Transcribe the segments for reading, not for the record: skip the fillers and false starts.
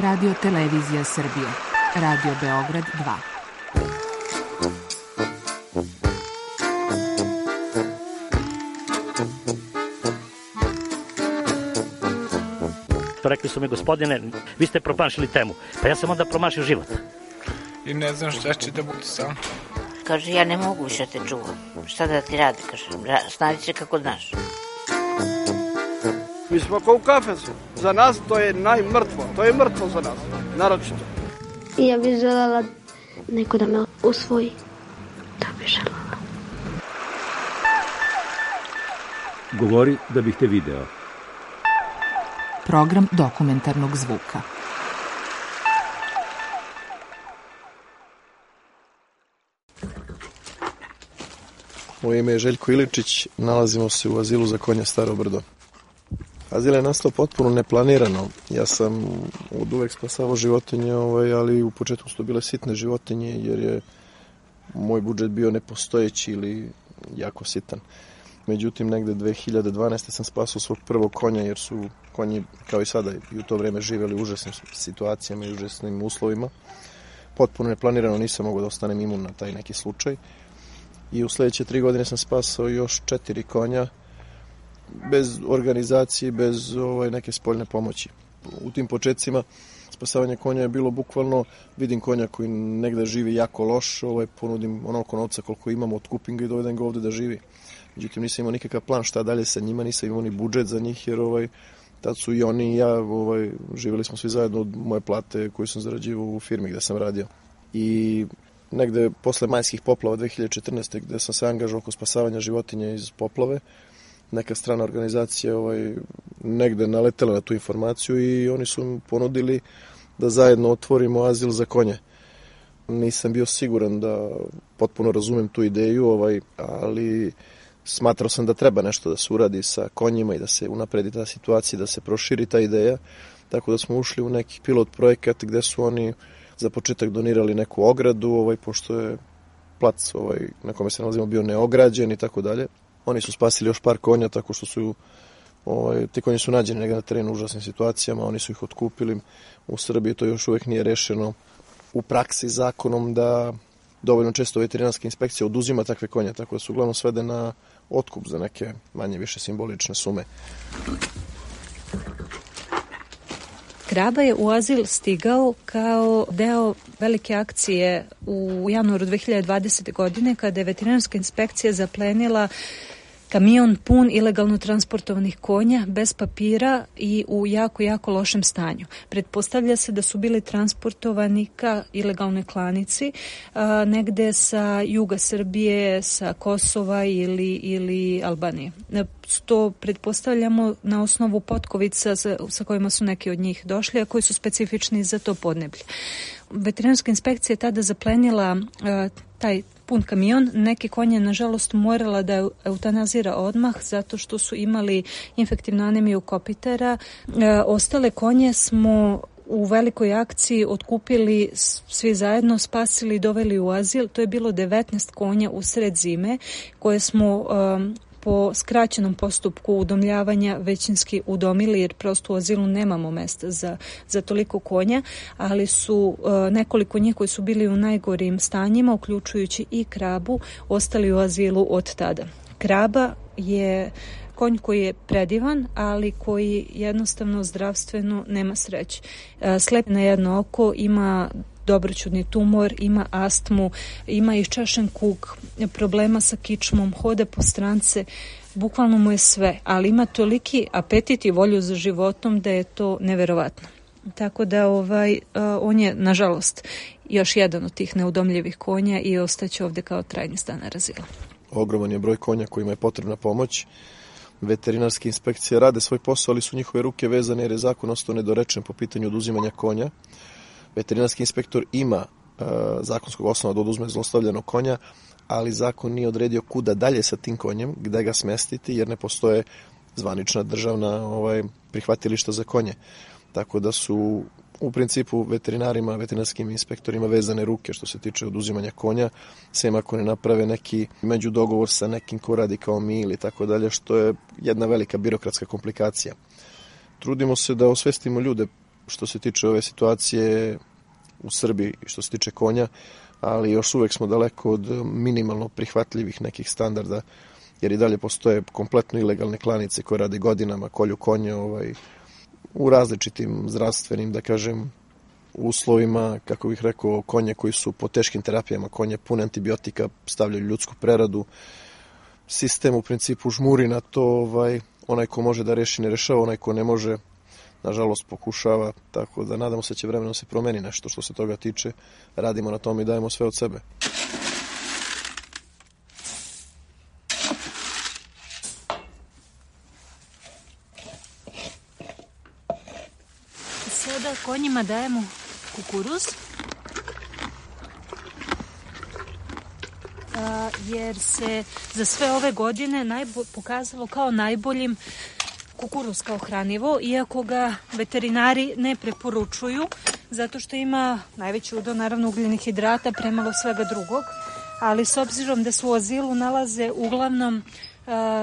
Radio Televizija Srbije, Radio Beograd 2. Rekli su mi, gospodine, vi ste promašili temu. Pa ja sam onda promašio život. I ne znam šta će da bude sam. Kaže, ja ne mogu više te čuvam. Šta da ti radi, kaže, snađi se kako znaš. Mi smo kao u kafesu. Za nas to je najmrtvo. To je mrtvo za nas, naročito. Ja bih želela neko da me usvoji. To bih želela. Govori da bih te video. Program dokumentarnog zvuka. Moje ime je Željko Iličić, nalazimo se u azilu za konja Staro Brdo. Azil je nastao potpuno neplanirano. Ja sam od uvek spasavao životinje, ali u početku su to bile sitne životinje jer je moj budžet bio nepostojeći ili jako sitan. Međutim, negde 2012. sam spasao svog prvog konja jer su konji, kao i sada, i u to vreme živeli u užasnim situacijama i užasnim uslovima. Potpuno neplanirano, nisam mogao da ostanem imun na taj neki slučaj. I u sledeće 3 godine sam spasao još 4 konja bez organizacije, bez neke spoljne pomoći. U tim početcima spasavanje konja je bilo bukvalno, vidim konja koji negde živi jako loš, ponudim onoliko novca koliko imam, otkupim ga i dovedem ga ovde da živi. Međutim, nisam imao nikakav plan šta dalje sa njima, nisam imao ni budžet za njih, jer tad su i oni i ja, živjeli smo svi zajedno od moje plate koju sam zarađivao u firmi gde sam radio. I negde posle majskih poplava 2014. gde sam se angažovao oko spasavanja životinja iz poplave, neka strana organizacija negde naletela na tu informaciju i oni su mi ponudili da zajedno otvorimo azil za konje. Nisam bio siguran da potpuno razumem tu ideju, ali smatrao sam da treba nešto da se uradi sa konjima i da se unapredi ta situacija, da se proširi ta ideja, tako da smo ušli u neki pilot projekat gde su oni za početak donirali neku ogradu, pošto je plac na kome se nalazimo bio neograđen i tako dalje. Oni su spasili još par konja tako što su ti konji su nađeni negdje na terenu u užasnim situacijama, oni su ih otkupili. U Srbiji to još uvek nije rešeno u praksi zakonom da dovoljno često veterinarska inspekcija oduzima takve konje, tako da su uglavnom svede na otkup za neke manje više simbolične sume. Kraba je u azil stigao kao deo velike akcije u januaru 2020. godine kada je veterinarska inspekcija zaplenila kamion pun ilegalno transportovanih konja bez papira i u jako, jako lošem stanju. Pretpostavlja se da su bili transportovani ka ilegalnoj klanici negde sa juga Srbije, sa Kosova ili Albanije. To pretpostavljamo na osnovu potkovica sa kojima su neki od njih došli, a koji su specifični za to podneblje. Veterinarska inspekcija je tada zaplenila taj pun kamion. Neke konje, nažalost, morala da eutanazira odmah zato što su imali infektivnu anemiju kopitera. Ostale konje smo u velikoj akciji otkupili svi zajedno, spasili i doveli u azil. To je bilo 19 konja u sred zime koje smo po skraćenom postupku udomljavanja većinski udomili, jer prosto u azilu nemamo mesta za toliko konja, ali su nekoliko njih koji su bili u najgorim stanjima, uključujući i krabu, ostali u azilu od tada. Kraba je konj koji je predivan, ali koji jednostavno zdravstveno nema sreće. Slep na jedno oko, ima dobroćudni tumor, ima astmu, ima iščašen kuk, problema sa kičmom, hoda po strance, bukvalno mu je sve, ali ima toliki apetit i volju za životom da je to neverovatno. Tako da on je, nažalost, još jedan od tih neudomljivih konja i ostaće ovde kao trajni stanar azila. Ogroman je broj konja kojima je potrebna pomoć. Veterinarske inspekcije rade svoj posao, ali su njihove ruke vezane jer je zakon ostao nedorečen po pitanju oduzimanja konja. Veterinarski inspektor ima zakonskog osnova da oduzme zlostavljanog konja, ali zakon nije odredio kuda dalje sa tim konjem, gde ga smestiti, jer ne postoje zvanična državna prihvatilišta za konje. Tako da su u principu veterinarima, veterinarskim inspektorima vezane ruke što se tiče oduzimanja konja, sem ako ne naprave neki međudogovor sa nekim ko radi kao mi ili tako dalje, što je jedna velika birokratska komplikacija. Trudimo se da osvestimo ljude što se tiče ove situacije u Srbiji i što se tiče konja, ali još uvek smo daleko od minimalno prihvatljivih nekih standarda, jer i dalje postoje kompletno ilegalne klanice koje rade godinama, kolju konje u različitim zdravstvenim, da kažem, uslovima, kako bih rekao, konje koji su po teškim terapijama, konje pune antibiotika, stavljaju ljudsku preradu. Sistem u principu žmuri na to, onaj ko može da reši ne rešava, onaj ko ne može, nažalost, pokušava, tako da nadamo se će vremenom se promeni nešto što se toga tiče. Radimo na tom i dajemo sve od sebe. Sada konjima dajemo kukuruz, jer se za sve ove godine pokazalo kao najboljim kukuruz kao hranivo, iako ga veterinari ne preporučuju, zato što ima najveći udeo naravno ugljenih hidrata, premalo svega drugog, ali s obzirom da se u azilu nalaze uglavnom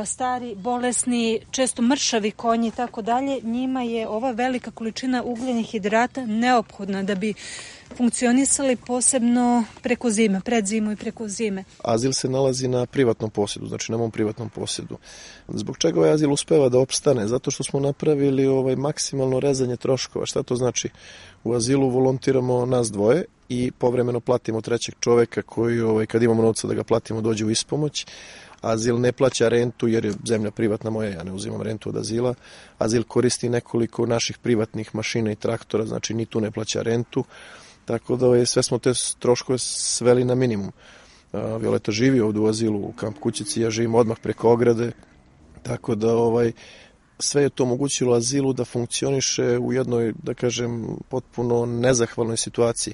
stari, bolesni, često mršavi konji i tako dalje, njima je ova velika količina ugljenih hidrata neophodna da bi funkcionisali, posebno preko zime, pred zimu i preko zime. Azil se nalazi na privatnom posjedu, znači na mom privatnom posjedu. Zbog čega ovaj azil uspeva da opstane? Zato što smo napravili maksimalno rezanje troškova. Šta to znači? U azilu volontiramo nas dvoje i povremeno platimo trećeg čoveka koji, kad imamo novca da ga platimo, dođe u ispomoć. Azil ne plaća rentu jer je zemlja privatna moja, ja ne uzimam rentu od azila. Azil koristi nekoliko naših privatnih mašina i traktora, znači ni tu ne plaća rentu. Tako da sve smo te troškove sveli na minimum. Violeta živi ovdje u azilu u kamp kućici, ja živim odmah preko ograde, tako da sve je to omogućilo azilu da funkcioniše u jednoj, da kažem, potpuno nezahvalnoj situaciji.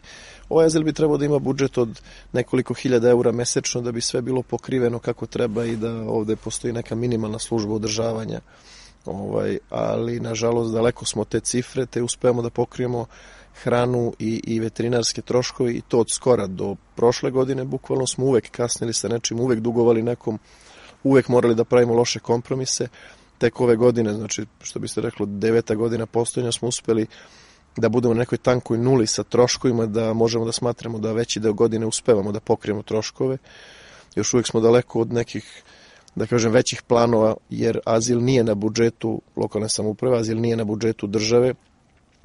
Ovaj azil bi trebao da ima budžet od nekoliko hiljada eura mesečno da bi sve bilo pokriveno kako treba i da ovdje postoji neka minimalna služba održavanja. Ali, nažalost, daleko smo te cifre, te uspemo da pokrijemo hranu i veterinarske troškove i to od skora do prošle godine. Bukvalno smo uvek kasnili sa nečim, uvek dugovali nekom, uvek morali da pravimo loše kompromise. Tek ove godine, znači što bi se reklo 9. godina postojanja, smo uspeli da budemo na nekoj tankoj nuli sa troškovima, da možemo da smatramo da veći deo godine uspevamo da pokrijemo troškove. Još uvek smo daleko od nekih, da kažem, većih planova, jer azil nije na budžetu lokalne samouprave, azil nije na budžetu države,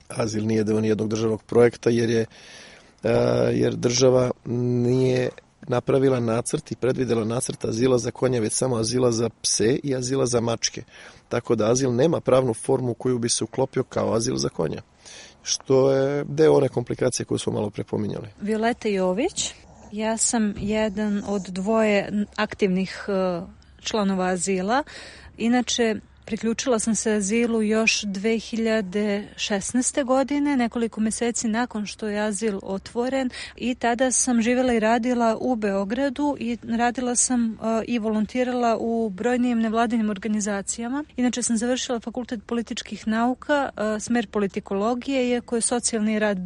azil nije deo nijednog državnog projekta, jer država nije napravila nacrt i predvidela nacrt azila za konje, već samo azila za pse i azila za mačke. Tako da azil nema pravnu formu koju bi se uklopio kao azil za konja, što je deo one komplikacije koju smo malo prepominjali. Violeta Jović, ja sam jedan od dvoje aktivnih članova azila. Inače, priključila sam se azilu još 2016. godine, nekoliko meseci nakon što je azil otvoren, i tada sam živjela i radila u Beogradu i radila sam i volontirala u brojnim nevladinim organizacijama. Inače sam završila Fakultet političkih nauka, smer politikologije, iako je socijalni rad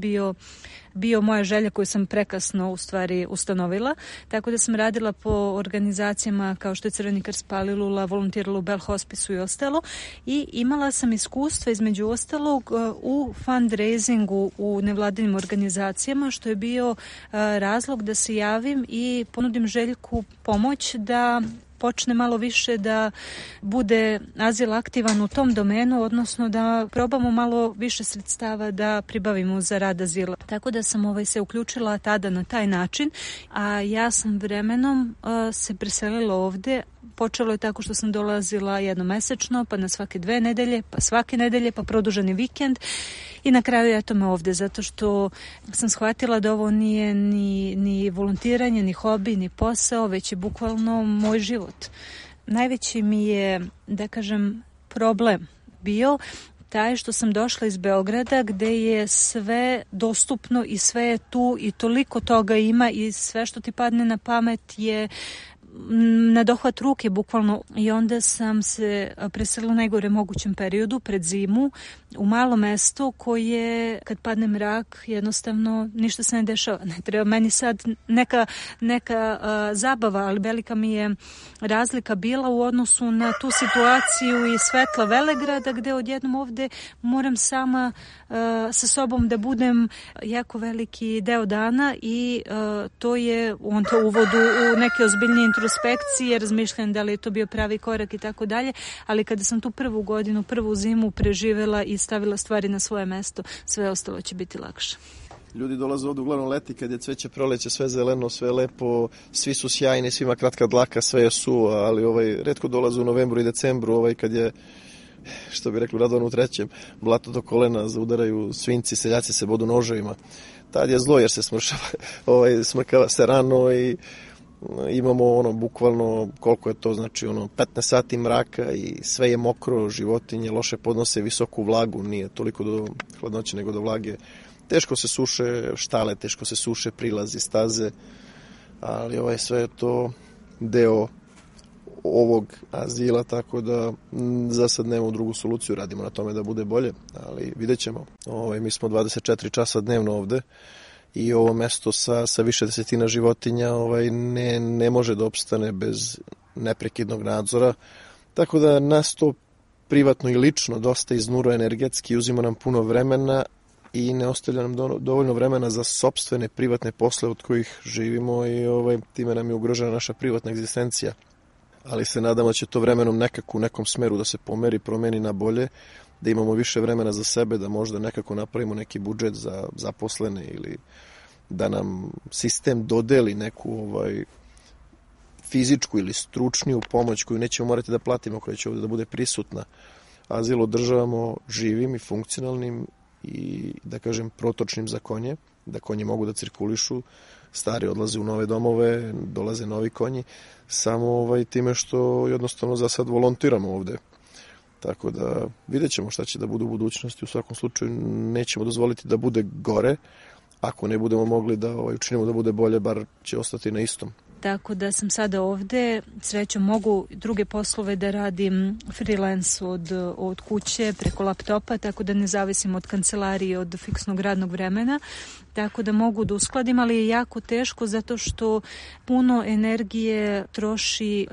bio moja želja koju sam prekasno u stvari ustanovila, tako da sam radila po organizacijama kao što je Crveni krst Palilula, volontirala u Bell Hospisu i ostalo, i imala sam iskustva između ostalog u fundraisingu u nevladinim organizacijama, što je bio razlog da se javim i ponudim Željku pomoć da počne malo više da bude azil aktivan u tom domenu, odnosno da probamo malo više sredstava da pribavimo za rad azila. Tako da sam se uključila tada na taj način, a ja sam vremenom se preselila ovde. Počelo je tako što sam dolazila jednomesečno, pa na svake 2 nedelje, pa svake nedelje, pa produženi vikend. I na kraju eto me ovde, zato što sam shvatila da ovo nije ni volontiranje, ni hobi, ni posao, već je bukvalno moj život. Najveći mi je, da kažem, problem bio taj što sam došla iz Beograda, gde je sve dostupno i sve je tu i toliko toga ima i sve što ti padne na pamet je na dohvat ruke bukvalno, i onda sam se preselila u najgore mogućem periodu pred zimu u malo mesto koje kad padne mrak jednostavno ništa se ne dešava. Ne treba meni sad neka zabava, ali velika mi je razlika bila u odnosu na tu situaciju i svetla Velegrada gde odjednom ovde moram sama sa sobom da budem jako veliki deo dana i to je onda uvodu u neke ozbiljnije introspekcije, razmišljam da li je to bio pravi korak i tako dalje, ali kada sam tu prvu godinu, prvu zimu preživela i stavila stvari na svoje mesto, sve ostalo će biti lakše. Ljudi dolaze ovdje uglavnom leti kad je cveće, proleće, sve zeleno, sve lepo, svi su sjajni, svima kratka dlaka, sve je suvo, ali retko dolaze u novembru i decembru, kad je, što bi rekli, Radovan u trećem, blato do kolena, zaudaraju svinci, seljaci se bodu noževima. Tad je zlo jer se smrkava se rano i imamo bukvalno koliko je to, znači 15 sati mraka i sve je mokro, životinje loše podnose visoku vlagu, nije toliko do hladnoće nego do vlage. Teško se suše štale, teško se suše prilazi, staze, ali sve je to deo ovog azila, tako da za sad nemamo drugu soluciju, radimo na tome da bude bolje, ali vidjet ćemo. Mi smo 24 časa dnevno ovde i ovo mesto sa više desetina životinja ne može da opstane bez neprekidnog nadzora, tako da nas to privatno i lično dosta iznuruje energetski, uzima nam puno vremena i ne ostavlja nam dovoljno vremena za sopstvene privatne posle od kojih živimo i time nam je ugrožena naša privatna egzistencija. Ali se nadamo da će to vremenom nekako u nekom smeru da se pomeri, promeni na bolje, da imamo više vremena za sebe, da možda nekako napravimo neki budžet za zaposlene ili da nam sistem dodeli neku fizičku ili stručniju pomoć koju nećemo morati da platimo, koja će ovdje da bude prisutna. Azil održavamo živim i funkcionalnim i, da kažem, protočnim za konje, da konji mogu da cirkulišu, stari odlaze u nove domove, dolaze novi konji, samo time što jednostavno za sad volontiramo ovde. Tako da vidjet ćemo šta će da bude u budućnosti, u svakom slučaju nećemo dozvoliti da bude gore, ako ne budemo mogli da učinimo da bude bolje, bar će ostati na istom. Tako da sam sada ovde, srećom mogu druge poslove da radim freelance od kuće preko laptopa, tako da ne zavisim od kancelarije, od fiksnog radnog vremena, tako da mogu da uskladim, ali je jako teško zato što puno energije troši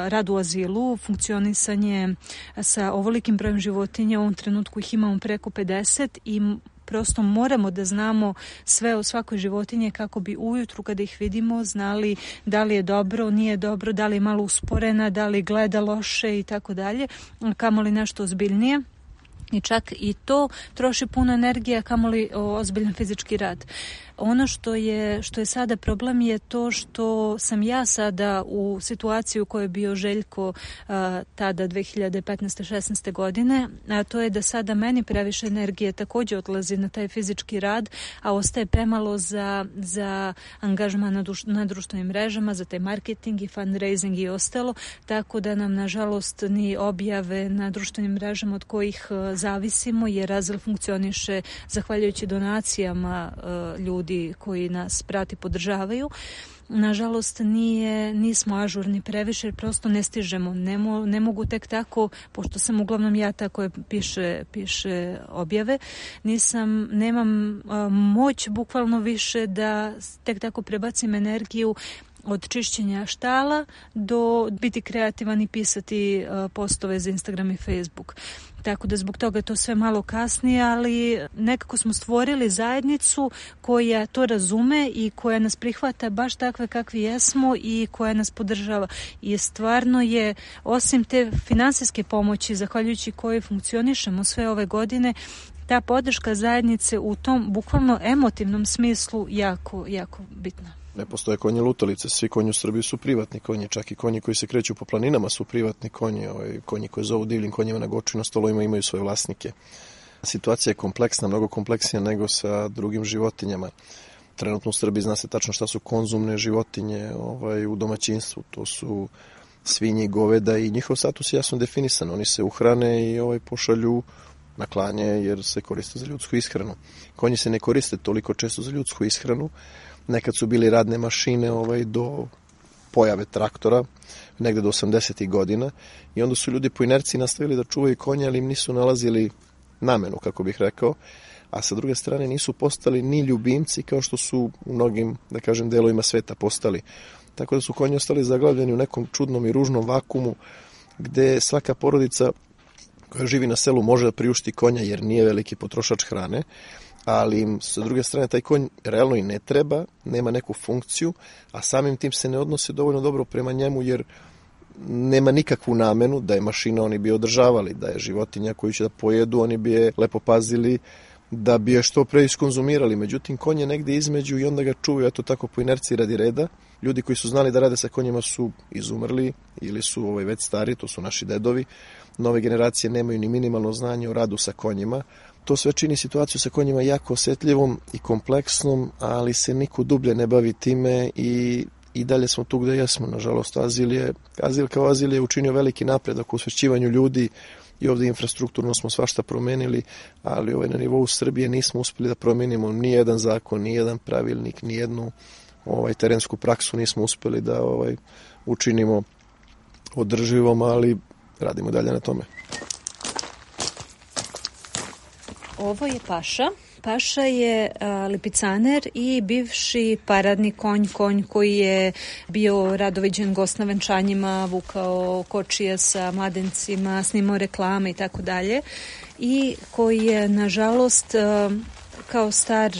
rad u azilu, funkcionisanje sa ovolikim brojem životinja, u ovom trenutku ih imamo preko 50 i prosto moramo da znamo sve o svakoj životinji kako bi ujutru kada ih vidimo znali da li je dobro, nije dobro, da li je malo usporena, da li gleda loše i tako dalje, kamoli nešto ozbiljnije. I čak i to troši puno energije, kamoli ozbiljan fizički rad. Ono što je sada problem je to što sam ja sada u situaciji u kojoj je bio Željko tada 2015-16. godine, a to je da sada meni previše energije također odlazi na taj fizički rad, a ostaje premalo za angažman na društvenim mrežama, za taj marketing i fundraising i ostalo, tako da nam nažalost ni objave na društvenim mrežama od kojih zavisimo, jer azil funkcioniše zahvaljujući donacijama ljudi koji nas prati, podržavaju. Nažalost nismo ažurni previše, jer prosto ne stižemo. Ne mogu tek tako, pošto sam uglavnom ja ta koja piše objave, nemam moć bukvalno više da tek tako prebacim energiju od čišćenja štala do biti kreativan i pisati postove za Instagram i Facebook. Tako da zbog toga je to sve malo kasnije, ali nekako smo stvorili zajednicu koja to razume i koja nas prihvata baš takve kakvi jesmo i koja nas podržava. I stvarno je, osim te finansijske pomoći, zahvaljujući kojoj funkcionišemo sve ove godine, ta podrška zajednice u tom bukvalno emotivnom smislu jako, jako bitna. Ne postoje konji lutalice, svi konji u Srbiji su privatni konji, čak i konji koji se kreću po planinama su privatni konji, konji koji zovu divljim konjima na Goču i na stolovima imaju svoje vlasnike. Situacija je kompleksna, mnogo kompleksnija nego sa drugim životinjama. Trenutno u Srbiji zna se tačno šta su konzumne životinje u domaćinstvu, to su svinje i goveda i njihov status je jasno definisan, oni se uhrane i pošalju na klanje jer se koriste za ljudsku ishranu. Konji se ne koriste toliko često za ljudsku ishranu. Nekad su bili radne mašine do pojave traktora, negde do 80. godina, i onda su ljudi po inerciji nastavili da čuvaju konje, ali im nisu nalazili namenu, kako bih rekao, a sa druge strane nisu postali ni ljubimci kao što su u mnogim, da kažem, delovima sveta postali. Tako da su konji ostali zaglavljeni u nekom čudnom i ružnom vakumu gde svaka porodica koja živi na selu može da priušti konja jer nije veliki potrošač hrane, ali im sa druge strane taj konj realno i ne treba, nema neku funkciju, a samim tim se ne odnose dovoljno dobro prema njemu jer nema nikakvu namenu. Da je mašina, oni bi održavali, da je životinja koju će da pojedu, oni bi je lepo pazili da bi je što pre iskonzumirali. Međutim, konj je negde između i onda ga čuvaju, eto tako, po inerciji radi reda. Ljudi koji su znali da rade sa konjima su izumrli ili su već stari, to su naši dedovi. Nove generacije nemaju ni minimalno znanje o radu sa konjima. To sve čini situaciju sa konjima jako osetljivom i kompleksnom, ali se niko dublje ne bavi time i dalje smo tu gde jesmo. Nažalost, Azil kao Azil je učinio veliki napredak u osvešćivanju ljudi i ovde infrastrukturno smo svašta promenili, ali na nivou Srbije nismo uspeli da promenimo ni jedan zakon, ni jedan pravilnik, ni jednu terensku praksu nismo uspeli da učinimo održivom, ali radimo dalje na tome. Ovo je Paša. Paša je lipicaner i bivši paradni konj koji je bio rado viđen gost na venčanjima, vukao kočije sa mladencima, snimao reklame i tako dalje, i koji je nažalost kao star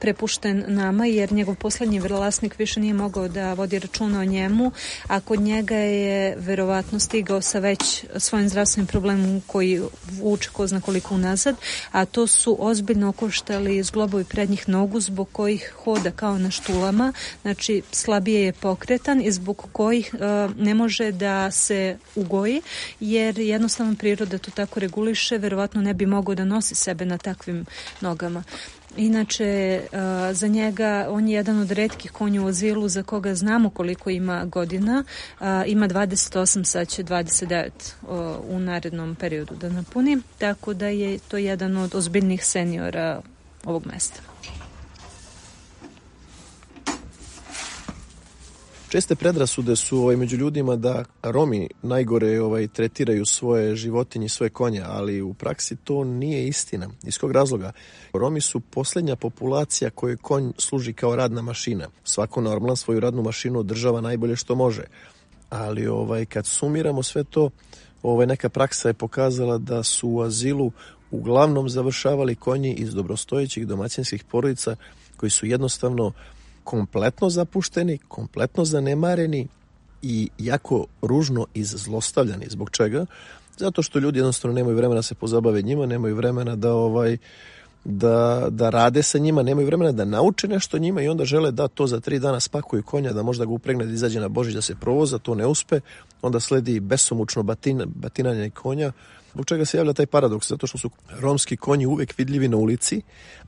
prepušten nama jer njegov poslednji vlasnik više nije mogao da vodi računa o njemu, a kod njega je verovatno stigao sa već svojim zdravstvenim problemom koji vuče ko zna koliko unazad, a to su ozbiljno okoštali zglobovi prednjih nogu zbog kojih hoda kao na štulama, znači slabije je pokretan i zbog kojih ne može da se ugoji jer jednostavno priroda to tako reguliše, verovatno ne bi mogao da nosi sebe na takvim nogama. Inače, za njega, on je jedan od retkih konja u Azilu za koga znamo koliko ima godina. Ima 28, sad će 29 u narednom periodu da napuni, tako da je to jedan od ozbiljnih seniora ovog mesta. Česte predrasude su među ljudima da Romi najgore tretiraju svoje životinje, svoje konje, ali u praksi to nije istina. Iz kog razloga? Romi su poslednja populacija kojoj konj služi kao radna mašina. Svako normalan svoju radnu mašinu održava najbolje što može. Ali kad sumiramo sve to, neka praksa je pokazala da su u Azilu uglavnom završavali konji iz dobrostojećih domaćinskih porodica koji su jednostavno kompletno zapušteni, kompletno zanemareni i jako ružno izzlostavljani. Zbog čega? Zato što ljudi jednostavno nemaju vremena da se pozabave njima, nemaju vremena da rade sa njima, nemaju vremena da nauče nešto njima i onda žele da to za 3 dana spakuju konja, da možda ga upregne da izađe na Božić da se provoza, to ne uspe, onda sledi besomučno batinanje konja. Zbog čega se javlja taj paradoks? Zato što su romski konji uvek vidljivi na ulici,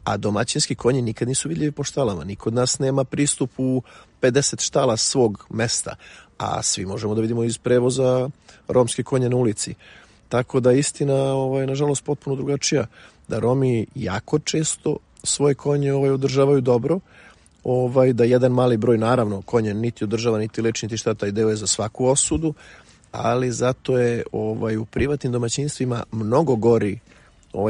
a domaćinski konji nikad nisu vidljivi po štalama. Niko od nas nema pristup u 50 štala svog mesta, a svi možemo da vidimo iz prevoza romske konje na ulici. Tako da istina, nažalost, potpuno drugačija. Da Romi jako često svoje konje održavaju dobro, da jedan mali broj, naravno, konje niti održava, niti leči, niti šta, taj deo je za svaku osudu, ali zato je u privatnim domaćinstvima mnogo gori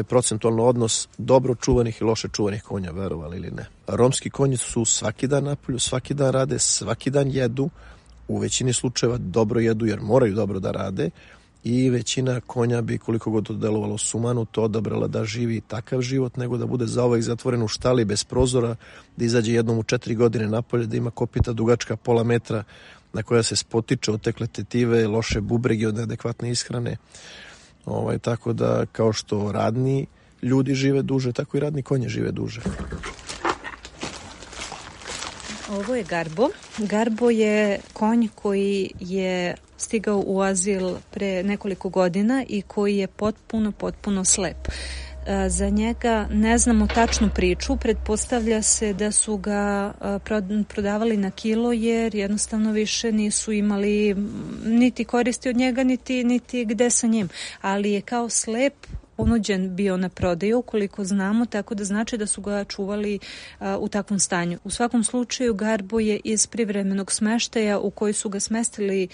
procentualno odnos dobro čuvanih i loše čuvanih konja, verovali ili ne. Romski konji su svaki dan napolju, svaki dan rade, svaki dan jedu, u većini slučajeva dobro jedu jer moraju dobro da rade i većina konja bi, koliko god to delovalo sumanuto, odabrala da živi takav život nego da bude zauvek zatvoren u štali bez prozora, da izađe jednom u 4 godine napolje, da ima kopita dugačka pola metra na koja se spotiče otekle tetive, loše bubrege od neadekvatne ishrane. Tako da kao što radni ljudi žive duže, tako i radni konje žive duže. Ovo je Garbo. Garbo je konj koji je stigao u Azil pre nekoliko godina i koji je potpuno slep. Za njega ne znamo tačnu priču, pretpostavlja se da su ga prodavali na kilo jer jednostavno više nisu imali niti koristi od njega niti gde sa njim, ali je kao slep ponuđen bio na prodaju, koliko znamo, tako da znači da su ga čuvali u takvom stanju. U svakom slučaju Garbo je iz privremenog smeštaja u koji su ga smestili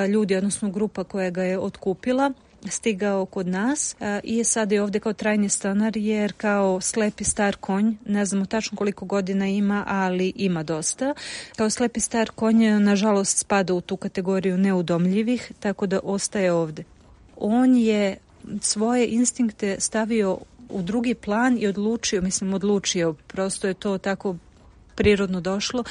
ljudi, odnosno grupa koja ga je otkupila, stigao kod nas i sada je ovde kao trajni stanar, jer kao slepi star konj, ne znamo tačno koliko godina ima, ali ima dosta. Kao slepi star konj, nažalost, spada u tu kategoriju neudomljivih, tako da ostaje ovde. On je svoje instinkte stavio u drugi plan i odlučio, prosto je to tako prirodno došlo,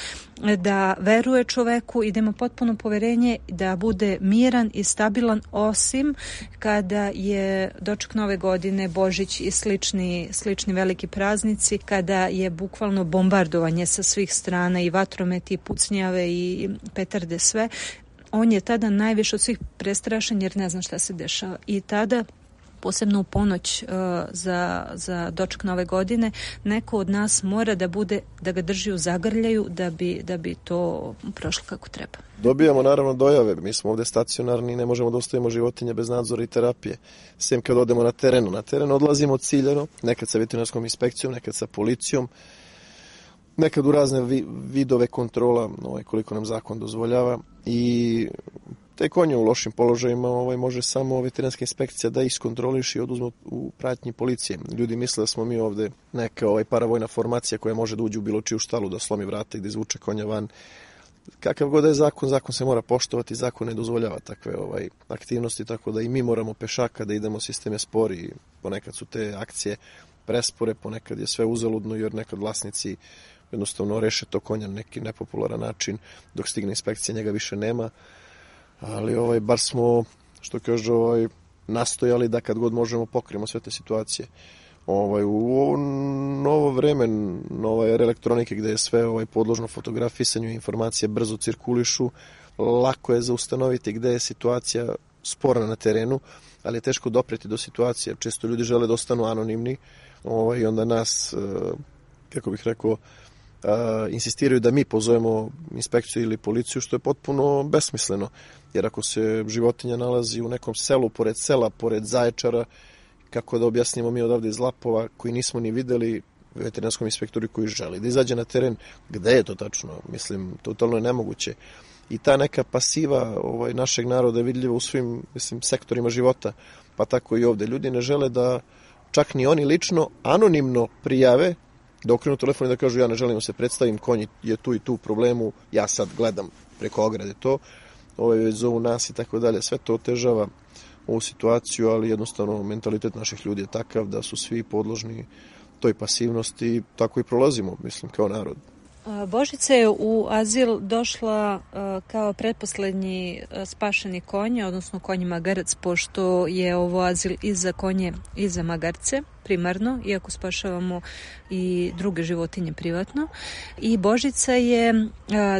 da veruje čoveku i da ima potpuno poverenje da bude miran i stabilan, osim kada je doček Nove godine, Božić i slični veliki praznici, kada je bukvalno bombardovanje sa svih strana i vatrometi, i pucnjave i petarde, sve. On je tada najviše od svih prestrašen jer ne zna šta se dešava. I tada, posebno u ponoć za doček Nove godine, neko od nas mora da ga drži u zagrljaju da bi to prošlo kako treba. Dobijamo naravno dojave, mi smo ovde stacionarni i ne možemo da ostavimo životinje bez nadzora i terapije. Sem kad odemo na terenu. Na teren odlazimo ciljano, nekad sa veterinarskom inspekcijom, nekad sa policijom, nekad u razne vidove kontrola, koliko nam zakon dozvoljava, i te konje u lošim položajima može samo veterinarska inspekcija da iskontroliš i oduzme u pratnji policije. Ljudi misle da smo mi ovde neka paravojna formacija koja može da uđe u bilo čiju štalu, da slomi vrata i da izvuče konja van. Kakav god je zakon se mora poštovati, zakon ne dozvoljava takve aktivnosti, tako da i mi moramo pešaka da idemo, sistem je spori i ponekad su te akcije prespore, ponekad je sve uzaludno jer nekad vlasnici jednostavno reše to konja na neki nepopularan način, dok stigne inspekcija njega više nema, ali bar smo, što kaže, nastojali da kad god možemo pokrijemo sve te situacije. U ovo novo vreme, nova era elektronike gde je sve podložno fotografisanju, informacije brzo cirkulišu, lako je zaustanoviti gde je situacija spora na terenu, ali je teško dopreti do situacije. Često ljudi žele da ostanu anonimni i onda nas, kako bih rekao, insistiraju da mi pozovemo inspekciju ili policiju, što je potpuno besmisleno. Jer ako se životinja nalazi u nekom selu, pored sela, pored Zaječara, kako da objasnimo mi odavde iz Lapova, koji nismo ni videli, veterinarskom inspektoru koji želi da izađe na teren, gde je to tačno? Mislim, totalno je nemoguće. I ta neka pasiva našeg naroda je vidljiva u svim sektorima života, pa tako i ovde. Ljudi ne žele da čak ni oni lično anonimno prijave, da okrenu telefon i da kažu ja ne želim da se predstavim, konj je tu i tu u problemu, ja sad gledam preko ograde to, već zovu nas i tako dalje. Sve to otežava ovu situaciju, ali jednostavno mentalitet naših ljudi je takav da su svi podložni toj pasivnosti i tako i prolazimo, kao narod. Božica je u azil došla kao pretposlednji spašeni konj, odnosno konj magarac, pošto je ovo azil i za konje i za magarce primarno, iako spašavamo i druge životinje privatno. I Božica je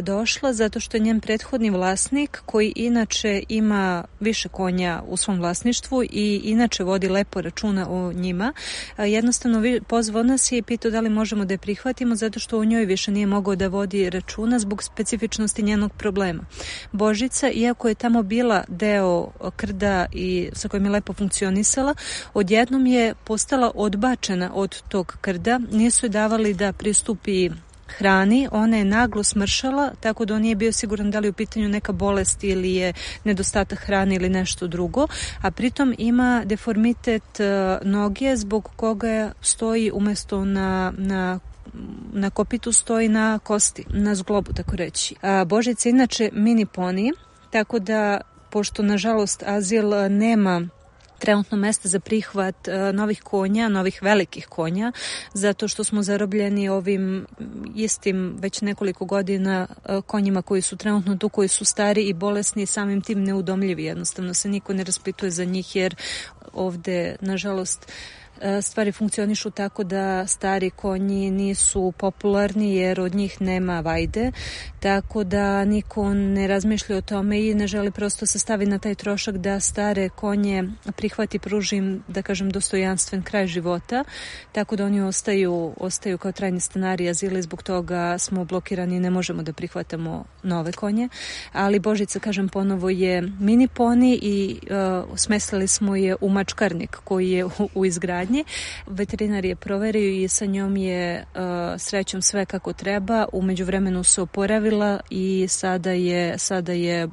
došla zato što je njen prethodni vlasnik, koji inače ima više konja u svom vlasništvu i inače vodi lepo računa o njima, jednostavno pozvao nas je i pitao da li možemo da je prihvatimo, zato što u njoj više nije mogao da vodi računa zbog specifičnosti njenog problema. Božica, iako je tamo bila deo krda i sa kojim je lepo funkcionisala, odjednom je postala odbačena od tog krda, nisu je davali da pristupi hrani, ona je naglo smršala, tako da on nije bio siguran da li je u pitanju neka bolest ili je nedostatak hrane ili nešto drugo, a pritom ima deformitet noge zbog koga stoji umesto na kopitu stoji na kosti, na zglobu, tako reći. Božica je inače mini poni, tako da, pošto nažalost azil nema trenutno mesta za prihvat novih konja, novih velikih konja, zato što smo zarobljeni ovim istim već nekoliko godina konjima koji su trenutno tu, koji su stari i bolesni i samim tim neudomljivi. Jednostavno se niko ne raspituje za njih jer ovde, nažalost, stvari funkcionišu tako da stari konji nisu popularni jer od njih nema vajde, tako da niko ne razmišlja o tome i ne želi prosto se stavi na taj trošak da stare konje prihvati, pruži im, da kažem, dostojanstven kraj života, tako da oni ostaju kao trajni stanari azila i zbog toga smo blokirani i ne možemo da prihvatamo nove konje. Ali Božica, kažem ponovo, je mini poni i smestili smo je u mačkarnik koji je u izgradnji. Veterinar je proverio i sa njom je srećom sve kako treba. U međuvremenu se oporavila i sada je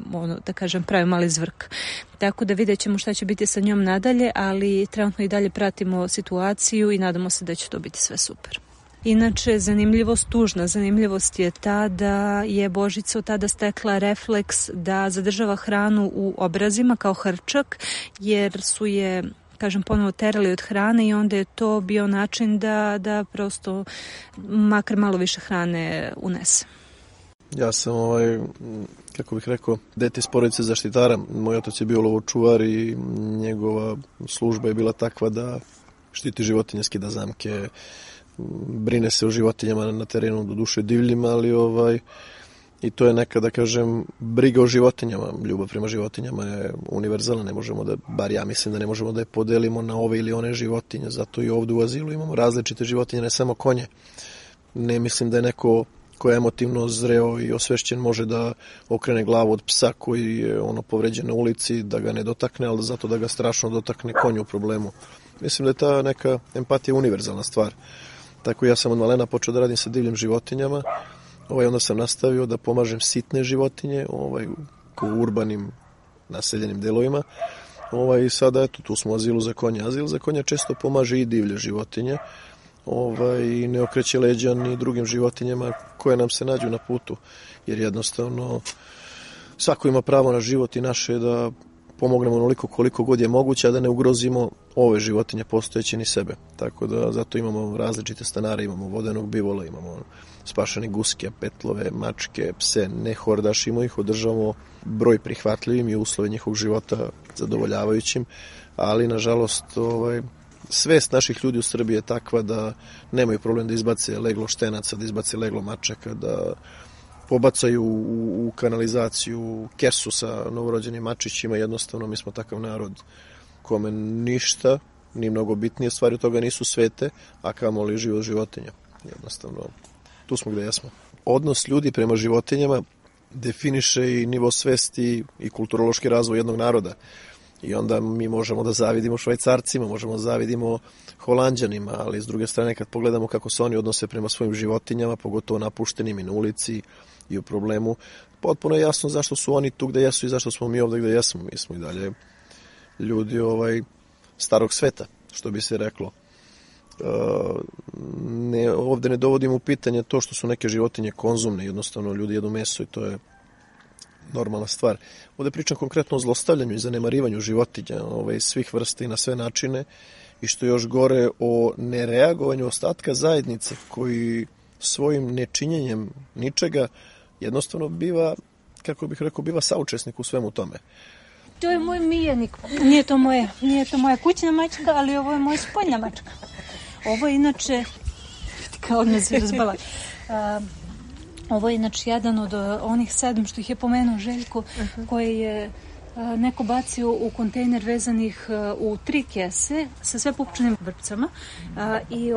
da kažem, pravi mali zvrk. Tako da vidjet ćemo šta će biti sa njom nadalje, ali trenutno i dalje pratimo situaciju i nadamo se da će to biti sve super. Inače, tužna zanimljivost je ta da je Božica od tada stekla refleks da zadržava hranu u obrazima kao hrčak, jer su je, kažem, ponovo terali od hrane i onda je to bio način da prosto makar malo više hrane unese. Ja sam, kako bih rekao, dete iz porodice zaštitara. Moj otac je bio lovočuvar i njegova služba je bila takva da štiti životinje, skida zamke, brine se o životinjama na terenu, do duše divljim, ali i to je neka, da kažem, briga o životinjama. Ljubav prema životinjama je univerzalna, ne možemo da, bar ja mislim da ne možemo da je podelimo na ove ili one životinje, zato i ovdje u azilu imamo različite životinje, ne samo konje. Ne mislim da je neko ko je emotivno zreo i osvešćen može da okrene glavu od psa koji je povređen na ulici, da ga ne dotakne, ali zato da ga strašno dotakne konju u problemu. Mislim da je ta neka empatija univerzalna stvar. Tako ja sam od malena počeo da radim sa divljim životinjama, onda sam nastavio da pomažem sitne životinje u urbanim naseljenim delovima. I sada, eto, tu smo u azilu za konje. Azil za konja često pomaže i divlje životinje, i ne okreće leđa ni drugim životinjama koje nam se nađu na putu, jer jednostavno svako ima pravo na život i naše je da pomognemo onoliko koliko god je moguće, a da ne ugrozimo ove životinje postojeće ni sebe. Tako da zato imamo različite stanare, imamo vodenog bivola, imamo spašene guske, petlove, mačke, pse, ne hordašimo ih, održavamo broj prihvatljivim i uslove njihovog života zadovoljavajućim, ali nažalost svest naših ljudi u Srbiji je takva da nemaju problem da izbace leglo štenaca, da izbace leglo mačaka, da pobacaju u kanalizaciju kesu sa novorođenim mačićima. Jednostavno, mi smo takav narod kome ništa, ni mnogo bitnije stvari od toga nisu svete, a kamoli život životinja. Jednostavno, tu smo gde jesmo. Odnos ljudi prema životinjama definiše i nivo svesti i kulturološki razvoj jednog naroda. I onda mi možemo da zavidimo Švajcarcima, možemo da zavidimo Holanđanima, ali s druge strane kad pogledamo kako se oni odnose prema svojim životinjama, pogotovo napuštenim i na ulici i u problemu, potpuno je jasno zašto su oni tu gde jesu i zašto smo mi ovde gde jesmo. Mi smo i dalje ljudi starog sveta, što bi se reklo. Ovde ne dovodimo u pitanje to što su neke životinje konzumne, jednostavno ljudi jedu meso i to je normalna stvar. Ovde pričam konkretno o zlostavljanju i zanemarivanju životinja svih vrsta i na sve načine, i što još gore o nereagovanju ostatka zajednice koji svojim nečinjenjem ničega jednostavno biva, kako bih rekao, biva saučesnik u svemu tome. To je moj miljenik. Nije to moja kućna mačka, ali ovo je moja spoljna mačka. Ovo je inače, kao odmah se razbala, ovo je inače jedan od onih 7 što ih je pomenuo Željko, koje je neko bacio u kontejner vezanih u 3 kese sa sve pupčanim vrpcama i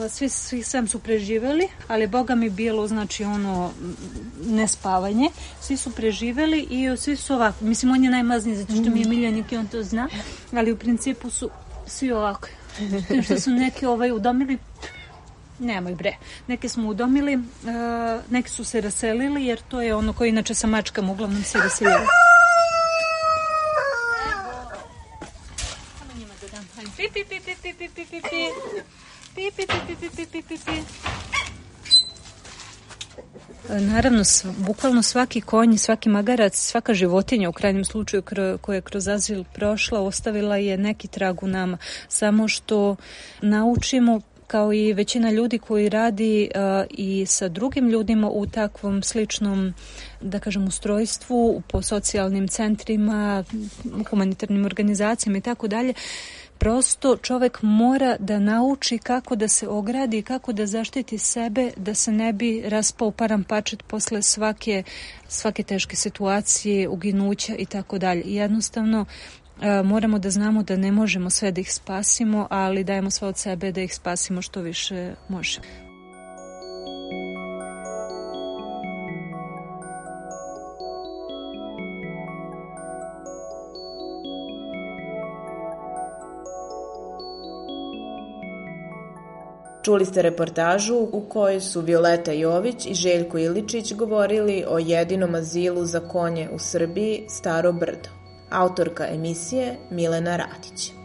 svi 7 su preživeli, ali Boga mi bilo, znači nespavanje, svi su preživeli i svi su ovako, mislim on je najmazniji zato što mi je miljenik i on to zna, ali u principu su svi ovako, što su neki udomili. Nemoj bre. Neke smo udomili, neki su se raselili, jer to je ono koji inače sa mačkama uglavnom se raseljaju. Samo njima da dam. Pi, pi, pi, pi, pi, pi, pi, pi, pi. Pi, pi, pi, pi, pi, pi, pi, pi. Naravno, bukvalno svaki konj, svaki magarac, svaka životinja u krajnjem slučaju koja je kroz azil prošla, ostavila je neki trag u nama. Samo što naučimo, kao i većina ljudi koji radi i sa drugim ljudima u takvom sličnom, da kažem, ustrojstvu, po socijalnim centrima, humanitarnim organizacijama i tako dalje, Prosto čovek mora da nauči kako da se ogradi, kako da zaštiti sebe, da se ne bi raspao paramparčet posle svake teške situacije, uginuća i tako dalje. Jednostavno moramo da znamo da ne možemo sve da ih spasimo, ali dajemo sve od sebe da ih spasimo što više možemo. Čuli ste reportažu u kojoj su Violeta Jović i Željko Iličić govorili o jedinom azilu za konje u Srbiji Staro Brdo. Autorka emisije Milena Radić.